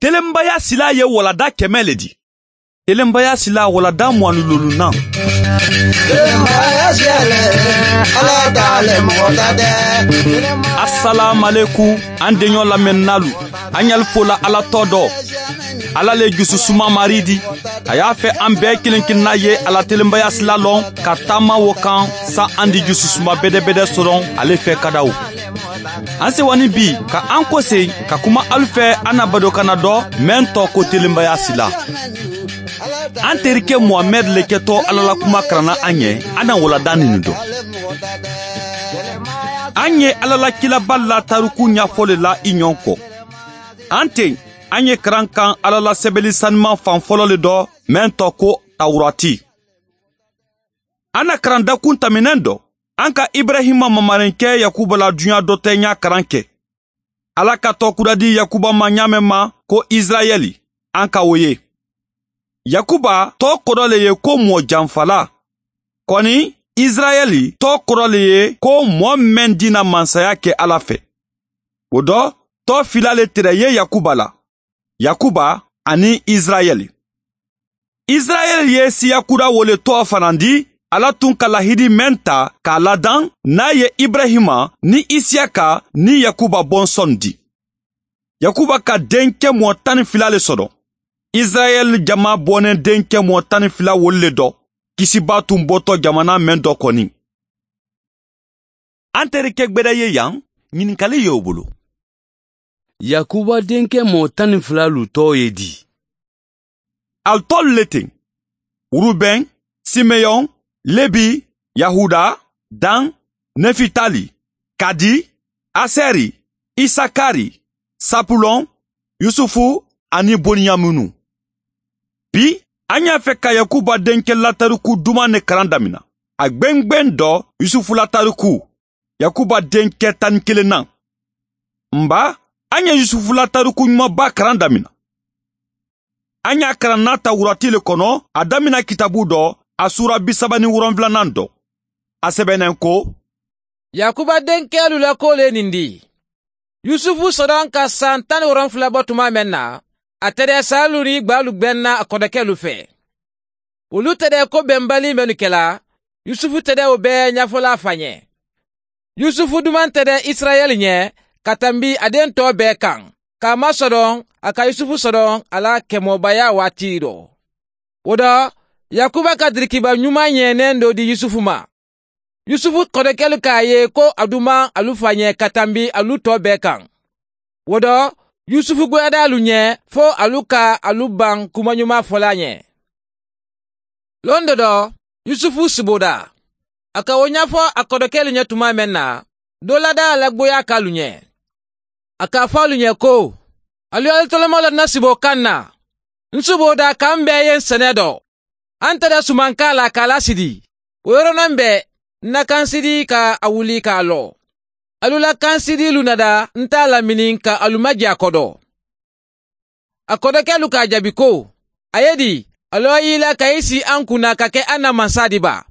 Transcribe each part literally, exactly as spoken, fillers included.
Telenbaya sila ye walada kɛmɛ le di. Telenbaya sila walada mugan ni loolunan. Telenbaya siyɛlɛ, Ala t'ale mɔgɔ ta dɛ. Asalaamalekum an denɲɔ lamɛnnalu. An y'al fola Ala tɔ dɔ. Ala le jususuma mari di. A y'a fɛ an bɛɛ kelen kelenna ye ala telenbaya sila lɔn ka taama wo kan sa an di jususuma bɛdɛbɛdɛ sɔrɔ ale fɛ kadaw. An sewani bi ka an kɔse ka kuma alu fɛ an na badokana dɔ mɛn tɔ ko telenbaya sila. An terikɛ Muhamɛd le kɛtɔ Ala la kuma karanna an ɲɛ an na walada nin dɔn. An ye Ala la kilaba la tariku ɲɛfɔ le la i ɲɔgɔn kɔ. An ten an ye karan kan Ala la sɛbɛnni sanuman fan fɔlɔ le dɔ mɛn tɔ ko Tawurati. An na karan dakun taminɛn dɔ an ka Ibrahima mamarinkɛ Yakuba la dunya dɔ tɛ ɲa karan kɛ. Ala ka tɔkura di Yakuba ma ɲa ma ko Israɛli an ka o ye. Yakuba tɔ kɔrɔ le ye ko mɔ janfala. Kɔni Israɛli tɔ kɔrɔ le ye ko mɔ mɛn dina mansaya kɛ Ala fɛ. O dɔ tɔ fila le tɛrɛ ye Yakuba la. Yakuba ani Israɛli. Israɛli ye siya kura wole tɔ fana di Ala tun ka lahidi mɛn ta k'a ladan n'a ye Ibrahima ni Isiyaka ni Yakuba bɔnsɔn di. Yakuba ka denkɛ mɔ tan ni fila le sɔrɔ. Israɛl jama bɔnnen denkɛ mɔ tan ni fila wolu le dɔ kisiba tun bɔtɔ jamana mɛn dɔ kɔni. An terikɛ gbɛdɛ ye yan ɲininkali ye o bolo. Yakuba denkɛ mɔ tan ni fila lu tɔ ye di. Al tɔlu le ten. Rubɛn, Simeyon, Lebi, Yahuda, Dan, Nefitali, Kadi, Aseri, Isakari, Sapulon, Yusufu ani Boniyamunu. Bi, an y'a fɛ ka Yakuba denkɛ latariku duman ne karan damina. A gbɛngbɛn dɔ Yusufu latariku, Yakuba denkɛ tan ni kelennan. Nba, an ye Yusufu latariku ɲumanba karan damina. An y'a karan n'a Tawurati le kɔnɔ, a damina kitabu dɔ, a sura bi saba ni wolonfilanan dɔ. A sɛbɛnnen ko: Yakuba denkɛlu la ko le nin di. Yusufu sɔrɔ ka san tan ni wolonfila bɔ tuma mɛn na, a tɛrɛ salu ni gbalu gbɛnna a kɔrɔkɛlu fɛ. Olu tɛrɛ ko bɛnbali minnu kɛla, Yusufu tɛrɛ o bɛɛ ɲɛfɔla a fa ɲɛ. Yusufu duman tɛrɛ Israɛl ɲɛ ka tanbi a den tɔ bɛɛ kan. K'a masɔrɔ a ka Yusufu sɔrɔ a la kɛmɔbaya waati dɔ. O dɔ, Yakuba ka dirikiba ɲuman ɲɛnɛn dɔ di Yusufu ma. Yusufu kɔrɔkɛlu k'a ye ko a duman alu fa ɲɛ ka tanbi alu tɔ bɛɛ kan. O dɔ, Yusufu goyada alu ɲɛ fo alu ka alu ban kuma ɲuman fɔla ɲɛ. Lon dɔ dɔ, Yusufu siboda. A ka o ɲɛfɔ a kɔrɔkɛlu ɲɛ tuma mɛn na, dɔ lada a la goya k'alu ɲɛ. A k'a fɔ alu ɲɛ ko, alu y'alu tɔlɔmɔ la na sibo kan na. N siboda k'an bɛɛ ye sɛnɛ dɔ. An tɛrɛ suman k'a la k'a lasidi. O yɔrɔnin bɛɛ, n na kansidi ka a wuli k'a lɔ. Alu la kansidilu nada n t'a lamini ka alu maji a kɔdɔ. A kɔdɔkɛlu k'a jaabi ko, a ye di, alu y'i la ka i si an kunna ka kɛ an na mansa di ba.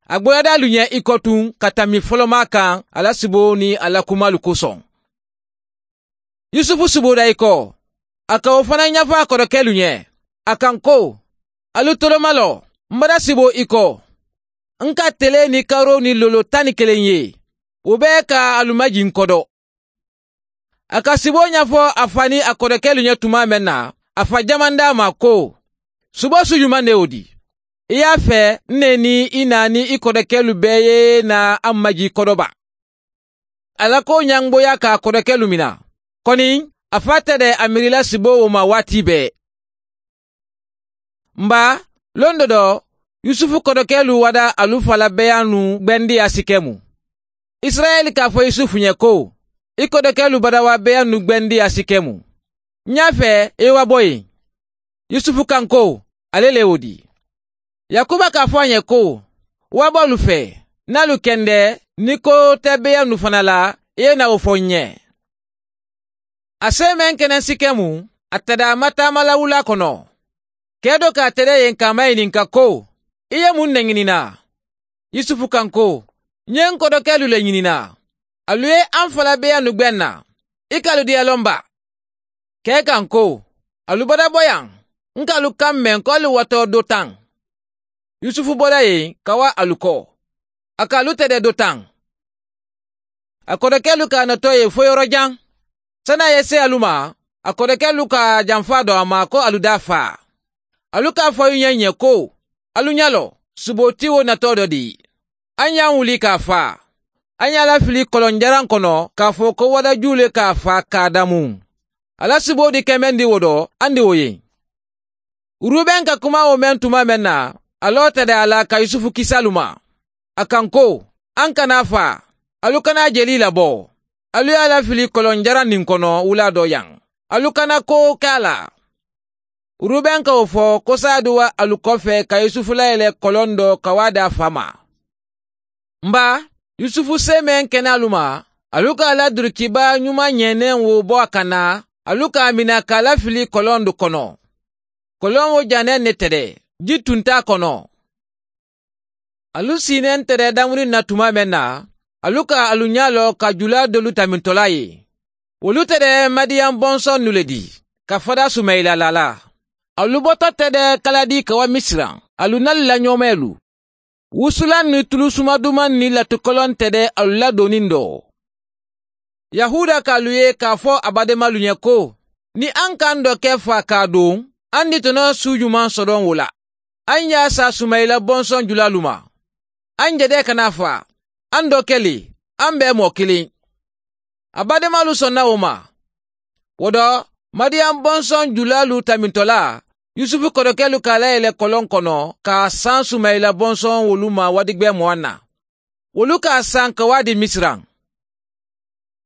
A goyada alu ɲɛ i kɔ tun ka tami fɔlɔma kan a la sibo ni a la kumalu kosɔn. Yusufu siboda i kɔ, a ka o fana ɲɛfɔ a kɔrɔkɛlu ɲɛ. A kan ko, alu tɔlɔma lɔ, n bara sibo i kɔ. N ka tele ni karo ni lolo tan ni kelen ye. O bɛɛ ka alu majin n kɔdɔ. A ka sibo ɲɛfɔ a fa ni a kɔrɔkɛlu ɲɛ tuma mɛn na, a fa jaman d'a ma ko, subo su ɲuman de y'o di. I y'a fɛ ne ni i na ni i kɔrɔkɛlu bɛɛ ye na an maji kɔdɔba. Ala ko ɲangboya k'a kɔrɔkɛlu mina. Kɔni, a fa tɛ dɛ a miirila sibo o ma waati bɛɛ. Nba, lon dɔ dɔ, Yusufu kɔrɔkɛlu wada alu fala bɛyanu gbɛndi a sikɛmu. Israɛl k'a fɔ Yusufu ɲɛ ko, i kɔrɔkɛlu badawa bɛyanu gbɛndi a sikɛmu. N y'a fɛ i wa bɔ yen. Yusufu kan ko, ale le y'o di. Yakuba k'a fɔ a ɲɛ ko, wa bɔ olu fɛ, n'alu kɛndɛ, ni ko tɛ bɛyanu fana la, i ye na o fɔ n ɲɛ. A se mɛn kɛnɛ sikɛmu, a tɛda a ma taama la wula kɔnɔ. Kɛ dɔ k'a tɛrɛ yen k'a maɲininka ko, i ye mun de ɲinina? Yusufu kan ko, n ye n kɔrɔkɛlu le ɲinina. Alu ye an fala bɛyanu gbɛn na. I k'alu diyalɔn ba. Kɛ kan ko, alu bɔra bɔ yan, n k'alu kan mɛn ko alu watɔ do tan. Yusufu bɔra yen ka wa alu kɔ. A k'alu tɛdɛ do tan. A kɔrɔkɛlu k'a natɔ ye fo yɔrɔ jan. San'a ye se alu ma, a kɔrɔkɛlu ka janfa dɔn a ma ko alu da fa. Alu k'a fɔ alu ɲɛ ɲɛ ko, alu ɲa lɔ, suboti wo natɔ dɔ di. An y'an wuli k'a fa. An y'a lafili kɔlɔnjaran kɔnɔ k'a fɔ ko wadaju le k'a fa k'a damu. Ala subo di kɛmɛ di wo dɔ, an di o ye. Rubɛn ka kuma o mɛn tuma mɛn na, alɔ tɛ dɛ a la ka Yusufu kisalu ma. A kan ko, an kana fa, alu kana jeli labɔ. Alu y'a lafili kɔlɔnjaran nin kɔnɔ wula dɔ yan. Alu kana ko k'a la. Rubɛn k'o fɔ ko sa di wa alu kɔfɛ ka Yusufu layɛlɛ kɔlɔn dɔ ka wa d'a fa ma. Nba, Yusufu se mɛn kɛnɛ alu ma, alu k'a la durukiba ɲuman ɲɛnɛn wo bɔ a kan na, alu k'a mina k'a lafili kɔlɔn do kɔnɔ. Kɔlɔn wo janɛ ne tɛ dɛ, ji tun t'a kɔnɔ. Alu sinnen tɛ dɛ damuni na tuma mɛn na, alu ka alu ɲa lɔ ka jula dolu tamintɔla ye. Olu tɛ dɛ Madiyan bɔnsɔn nu le di, ka fada Sumayila la la. Alu bɔtɔ tɛ dɛ Kaladi ka wa Misira, alu n'alu la ɲɔmɛlu. Wusulan ni tulu sumaduman ni latukɔlɔn tɛ dɛ alu ladonni dɔ. Yahuda k'alu ye k'a fɔ a badenmalu ɲɛ ko, ni an k'an dɔ kɛ fa k'a don, an di tɔnɔ su ɲuman sɔrɔ o la. An y'a sa Sumayila bɔnsɔn julalu ma. An jɛdɛ kana fa, an dɔ kɛli, an bɛɛ mɔ kelen. A badenmalu sɔnna o ma. O dɔ, Madiyan bɔnsɔn julalu tamintɔla, Yusufu kɔrɔkɛlu k'a layɛlɛ kɔlɔn kɔnɔ k'a san Sumayila bɔnsɔn wolu ma wadigbɛ mugan na. Wolu k'a san ka wa di Misira.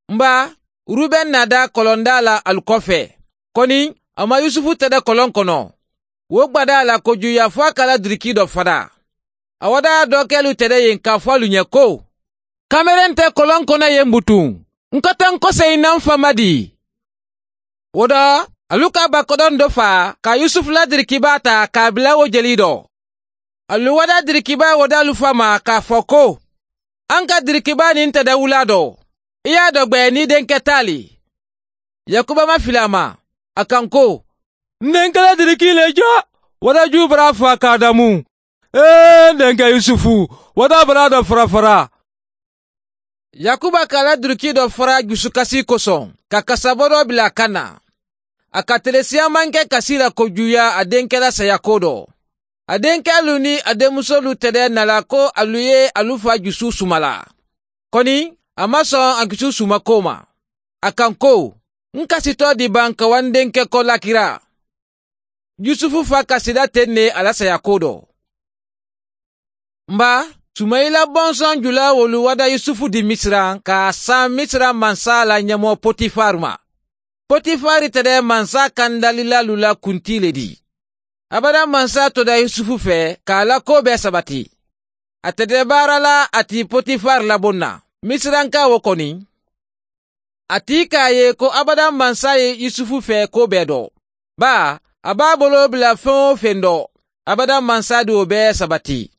Nba, Rubɛn nada kɔlɔnda la alu kɔfɛ. Kɔni, a ma Yusufu tɛdɛ kɔlɔn kɔnɔ. Wo gbada la kojuya fɔ a kala diriki dɔ fada. A wada dɔ kɛlu tɛdɛ yen k'a fɔ alu ɲɛ ko, kameren tɛ kɔlɔn kɔnɔ yen butun. N ka taa n kɔsegin n'an fa ma di. O dɔ, alu ka bakɔdɔn dɔ fa ka Yusufu la dirikiba ta k'a bila o jeli dɔ. Alu wada dirikiba o d'alu fa ma k'a fɔ ko, an ka dirikiba nin tɛ dɛ wula dɔ. I y'a dɔ gbɛ ni denkɛ t'ale. Yakuba ma fili a ma. A kan ko, n denkɛ la diriki le jɔ, wadaju bara fa k'a damu. Ee n denkɛ Yusufu, wada bara dɔ fara fara. Yakuba k'a la duruki dɔ fara dusukasi kosɔn ka kasabɔ dɔ bila a kan na. A ka tele siyaman kɛ kasi la kojuya a denkɛ la sayako dɔ. A denkɛlu ni a denmusolu tɛdɛ nala ko alu ye alu fa dusu sumala. Kɔni, a ma sɔn a dusu sumako ma. A kan ko, n kasitɔ di ban ka wa n denkɛ kɔ lakira. Yusufu fa kasida ten ne a la sayako dɔ. Nba, Sumayila bɔnsɔn jula wolu wada Yusufu di Misira k'a san Misira mansa la ɲɛmɔ Potifar ma. Potifar tɛ dɛ mansa kandalilalu la kunti le di. Abada mansa toda Yusufu fɛ k'a la ko bɛɛ sabati. A tɛ dɛ baara la a ti Potifar labon na. Misiranka wo kɔni. A ti k'a ye ko abada mansa ye Yusufu fɛ ko bɛɛ dɔ. Ba, a b'a bolo bila fɛn o fɛn dɔ. Abada mansa di o bɛɛ sabati.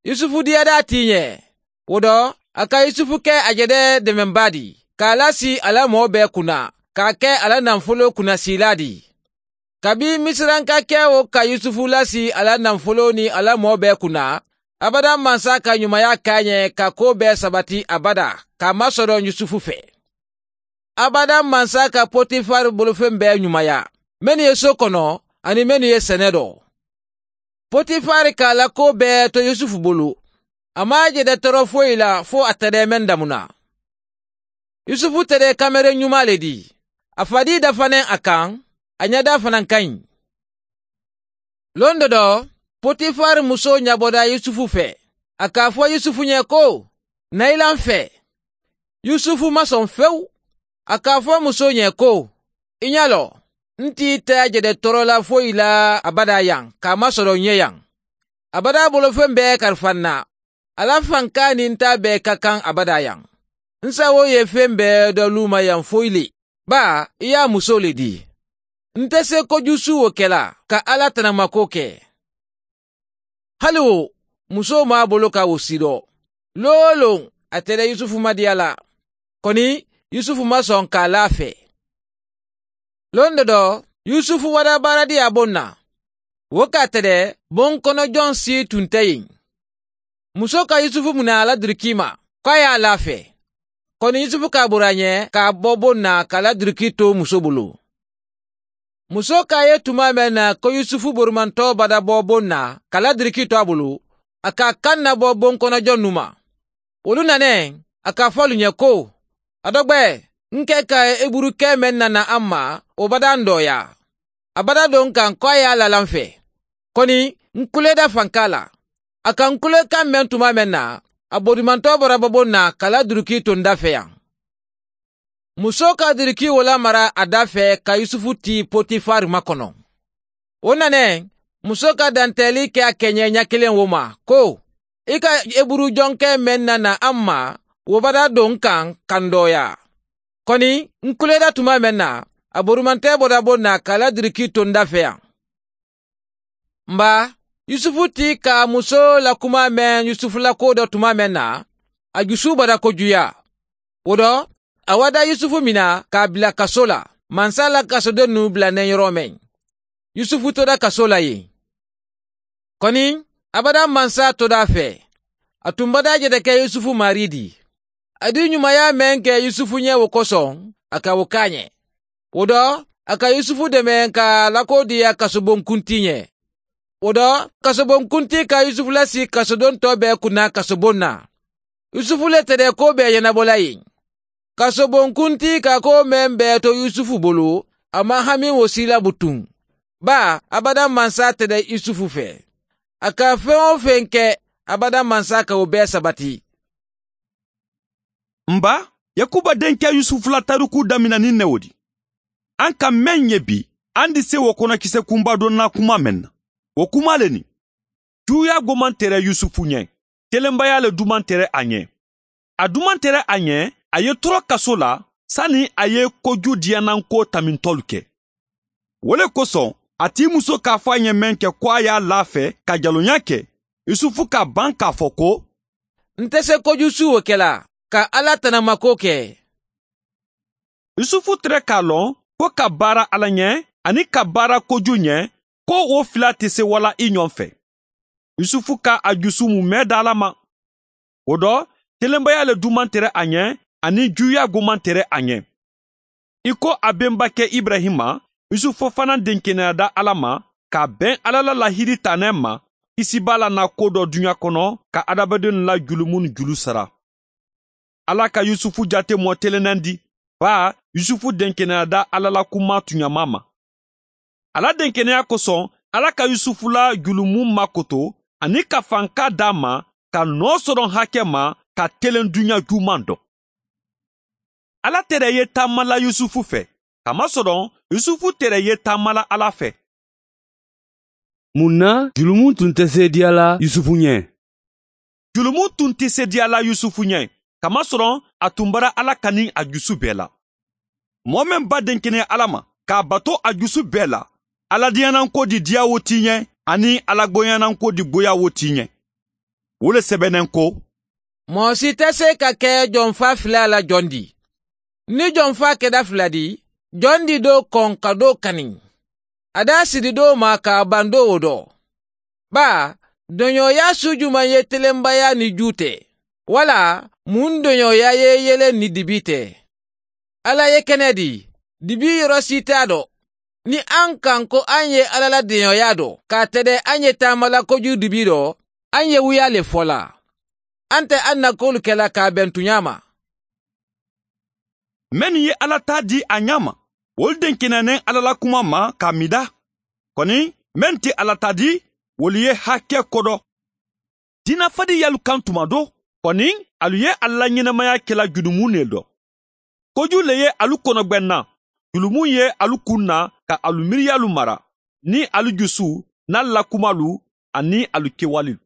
Yusufu diyada a ti ɲɛ. O dɔ, a ka Yusufu kɛ a jɛdɛ dɛmɛba di, k'a lasi a la mɔɔ bɛɛ kunna, k'a kɛ a la nafolo kunnasila di. Kabi Misiranka kɛ o ka Yusufu lasi a la nafolo ni a la mɔɔ bɛɛ kunna, abada mansa ka ɲumanya k'a ɲɛ ka ko bɛɛ sabati abada, k'a masɔrɔ Yusufu fɛ. Abada mansa ka Potifar bolofɛn bɛɛ ɲumanya, minnu ye so kɔnɔ ani minnu ye sɛnɛ dɔ. Potifar k'a la ko bɛɛ to Yusufu bolo. A m'a jɛdɛ tɔɔrɔ foyi la fo a tɛdɛ mɛn damuna. Yusufu tɛdɛ kameren ɲuman le di. A fadi dafanen a kan, a ɲɛda fana ka ɲi. Lon dɔ dɔ, Potifar muso ɲabɔda Yusufu fɛ. A k'a fɔ Yusufu ɲɛ ko, na i la n fɛ. Yusufu ma sɔn fewu. A k'a fɔ muso ɲɛ ko, i ɲa lɔ, n t'i tɛ jɛdɛ tɔɔrɔ la foyi la abada yan, k'a masɔrɔ n ye yan. Abada bolofɛn bɛɛ kalifa n na. Ala fanka ni n ta bɛɛ ka kan abada yan. N sago ye fɛn bɛɛ dɔ lu ma yan foyi le. Ba, i y'a muso le di. N tɛ se kojusu o kɛla ka Ala tanamako kɛ. Hali o, muso m'a bolo ka o si dɔ. Lon o lon, a tɛrɛ Yusufu ma diya la. Kɔni, Yusufu ma sɔn k'a la fɛ. Lon dɔ dɔ, Yusufu wada baaradi a bon na. Wo k'a tɛrɛ bon kɔnɔ jɔn si tun tɛ yen. Muso ka Yusufu minɛ a la duruki ma, k'a y'a lafɛ. Kɔni Yusufu ka bori a ɲɛ k'a bɔ bon na k'a la duruki to muso bolo. Muso k'a ye tuma mɛn na ko Yusufu borumantɔ bada bɔ bon na k'a la duruki to a bolo, a ka kan nabɔ bon kɔnɔ jɔn nu ma. Olu nanɛ, a k'a fɔ olu ɲɛ ko, a dɔgbɛ, n kɛ ka eburukɛ mɛn nana an ma, o bada n dɔya. A bada don kan ko a y'a lalan fɛ. Kɔni, n kuleda fanka la. A ka n kulekan mɛn tuma mɛn na, a borimantɔ bɔra bɔ bon na k'a la duruki to n da fɛ yan. Muso ka duruki o lamara a da fɛ ka Yusufu ti Potifari makɔnɔ. O nanɛ, muso ka dantɛli kɛ a kɛɲɛ ɲɛ kelen wo ma, ko, i ka eburu jɔnkɛ mɛn nana an ma, wo bada don kan kan dɔya. Kɔni, n kuleda tuma mɛn na, a borumantɛ bɔra bon na k'a la duruki to n da fɛ yan. Nba, Yusufu ti ka muso la kuma mɛn Yusufu la ko dɔ tuma mɛn na, a jusu bada kojuya. O dɔ, a wada Yusufu mina k'a bila kaso la, mansa la kasoden nu bilanen yɔrɔ mɛn. Yusufu tora kaso la yen. Kɔni, abada mansa toda a fɛ. A tun bada jɛdɛkɛ Yusufu mari di. A di ɲumanya mɛn kɛ Yusufu ɲɛ o kosɔn, a ka o k'a ɲɛ. O dɔ, a ka Yusufu dɛmɛ ka lako diya kasobonkunti ɲɛ. O dɔ, kasobonkunti ka Yusufu lasi kasoden tɔ bɛɛ kunna kasobon na. Yusufu le tɛrɛ ko bɛɛ ɲɛnabɔla yen. Kasobonkunti ka ko mɛn bɛɛ to Yusufu bolo, a ma hami o si la butun. Ba, abada mansa tɛrɛ Yusufu fɛ. A ka fɛn o fɛn kɛ, abada mansa ka o bɛɛ sabati. Nba, Yakuba denkɛ Yusufu la tariku daminɛ ni ne o di. An ka mɛn ye bi, an di se o kɔnɔ kisɛ kunba dɔ na kuma mɛn na. O kuma le nin. Juguya goman tɛrɛ Yusufu ɲɛ, telenbaya le duman tɛrɛ a ɲɛ. A duman tɛrɛ a ɲɛ, a ye tɔrɔ kaso la, sani a ye koju diyananko tamintɔlu kɛ. O le kosɔn, a t'i muso k'a fɔ a ɲɛ mɛn kɛ ko a y'a lafɛ ka jalonya kɛ, Yusufu ka ban k'a fɔ ko, N tɛ se koju su o kɛla, ka Ala tanamako kɛ. Yusufu tɛrɛ k'a lɔn ko ka baara Ala ɲɛ ani ka baara koju ɲɛ, ko o fila tɛ se wala i ɲɔgɔn fɛ. Yusufu ka a jusu mumɛ da Ala ma. O dɔ, telenbaya le duman tɛrɛ a ɲɛ ani juya goman tɛrɛ a ɲɛ. I ko a bɛnbakɛ Ibrahima, Yusufu fana denkɛnɛya da Ala ma k'a bɛn Ala la lahidi tanɛ ma, kisi b'a la na ko dɔ duɲa kɔnɔ ka adamadenw la julumu ni julu sara. Ala ka Yusufu jate mɔ telenen di, ba Yusufu denkɛnɛya da Ala la kuma tuɲama ma. Ala denkɛnɛya kosɔn, Ala ka Yusufu la julumu makoto ani ka fanka d'a ma ka nɔ sɔrɔ hakɛ ma ka telen duɲa juman dɔn. Ala tɛrɛ ye taama la Yusufu fɛ, kamasɔrɔ Yusufu tɛrɛ ye taama la Ala fɛ. Mun na julumu tun tɛ se diya la Yusufu ɲɛ? Julumu tun tɛ se diya la Yusufu ɲɛ, kamasɔrɔ a tun bara Ala kani a jusu bɛɛ la. Mɔgɔ min ba denkɛnɛ Ala ma k'a bato a jusu bɛɛ la, Ala diyananko di diya wo ti ɲɛ ani Ala goyananko di goya wo ti ɲɛ. O le sɛbɛnnen ko, Mɔgɔ si tɛ se ka kɛ jɔnfa fila la jɔn di. Ni jɔnfa kɛda fila di, jɔn di do kɔn ka do kani. A da siri do ma k'a ban do o dɔ. Ba, dɔɲɔya su juman ye telenbaya ni ju tɛ. Wala, mun dɔɲɔya ye yelen ni dibi tɛ. Ala ye kɛnɛ di, dibi yɔrɔ si t'a dɔ. Ni an kan ko an ye Ala la dɔɲɔya dɔ, k'a tɛdɛ an ye taamala kojugu dibi dɔ, an ye wuya le fɔ la. An tɛ an na kolu kɛla k'a bɛn tuɲa ma. Mɛnnu ye Ala ta di a ɲɛ ma, olu denkɛnɛnen Ala la kuma ma k'a mida. Kɔni, mɛn tɛ Ala ta di, olu ye hakɛ kɔdɔ. Dinafadi y'alu kan tuma do, kɔni, alu ye Ala la ɲɛnamaya kɛla jurumu ne dɔ. Koju le ye alu kɔnɔgbɛnna, julumu ye alu kun na ka alu miiriyalu mara, ni alu jusu, n'alu la kumalu, ani alu kɛwalew.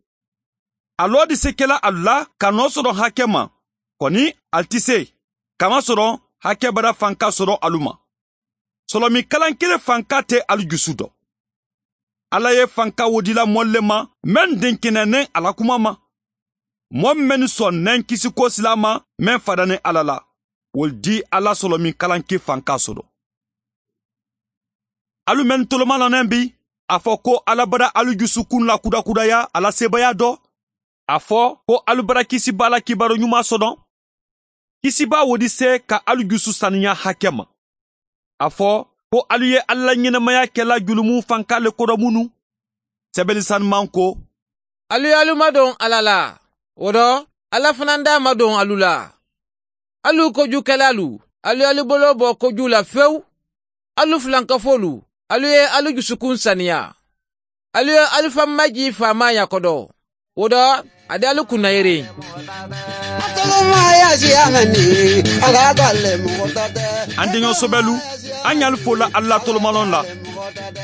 Alɔ di se kɛla alu la ka nɔ sɔrɔ hakɛ ma, kɔni alu tɛ se, kamasɔrɔ hakɛ bara fanka sɔrɔ alu ma. Sɔlɔmi kalan kelen fanka tɛ alu jusu dɔ. Ala ye fanka wodila mɔle ma, mɛn denkɛnɛnen ala kuma ma. Mɔ mɛn sɔnnɛn kisiko sila ma, mɛn fadanen Ala la, o di Ala sɔlɔmi kalan ke fanka sɔrɔ. Alu mɛn toloma lanɛn bi a fɔ ko Ala bara alu jusukun la kudakudaya ala sebaya dɔ. A fɔ ko alu bara kisiba la kibaru ɲuman sɔdɔn. Kisiba wo di se ka alu jusu saniya hakɛ ma. A fɔ ko alu ye Ala ɲɛnamaya kɛla julumu fanka le kɔrɔ minnu. Sɛbɛnni sanuman ko alu ye alu madon Ala la, o dɔ Ala fana d'a madon alu la. Alu kojukɛlalu, alu ye alu bolo bɔ koju la fewu. Alu filankafolu, alu ye alu jusukun saniya. Alu ye alu fan maji faamaya kɔdɔ. O dɔ a di alu kunna yere. An denkɛ sɔbɛlu, an y'alu fola Ala tolomalɔn la.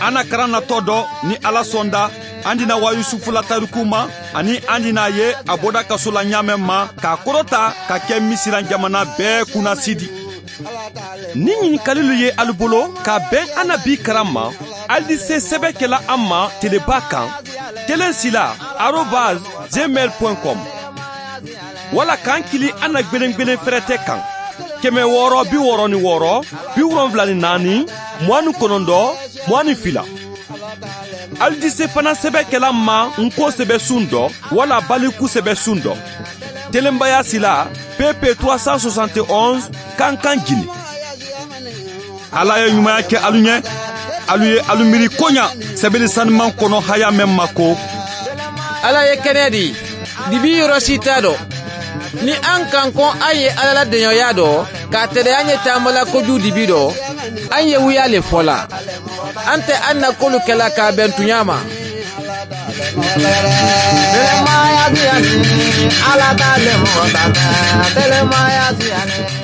An na karan natɔ dɔ ni Ala sɔnda, an dina wa Yusufu la tariku ma, ani an dina ye a bɔda kaso la ɲaamɛ ma k'a kɔrɔta ka kɛ Misiran jamana bɛɛ kunnasidi. Ni ɲininkalilu ye alu bolo ka bɛn an na bi karan ma, alu di se sɛbɛn kɛla an ma teleba kan telensila arobase gmail point com wala k'an kili an na gbelengbelen fɛrɛtɛ kan kɛmɛ wɔɔrɔ bi wɔɔrɔ ni wɔɔrɔ bi wolonfila ni naani mugan ni kɔnɔntɔn mugan ni fila. Alu di se fana sɛbɛn kɛla ma nko sɛbɛn sun dɔ wala baliku sɛbɛn sun dɔ. Telenbaya sila P P trois cent soixante et onze Kankan Guinée. Ala ye ɲumanya kɛ alu ɲɛ, alu ye alu miiri koɲa sɛbɛnni sanuman kɔnɔ haya mɛn ma ko Ala ye kɛnɛ di, dibi yɔrɔ si t'a dɔn. Ni an kan kɔn an ye Ala la dɛɲɔya dɔ, k'a tɛrɛ an ye taamala kojugu dibi dɔ, an ye wuya le fɔ la. An tɛ an na kolu kɛla k'a bɛn tunya ma. Telemaya siani, ala ta le mɔgɔ ta tɛ. Telemaya siani.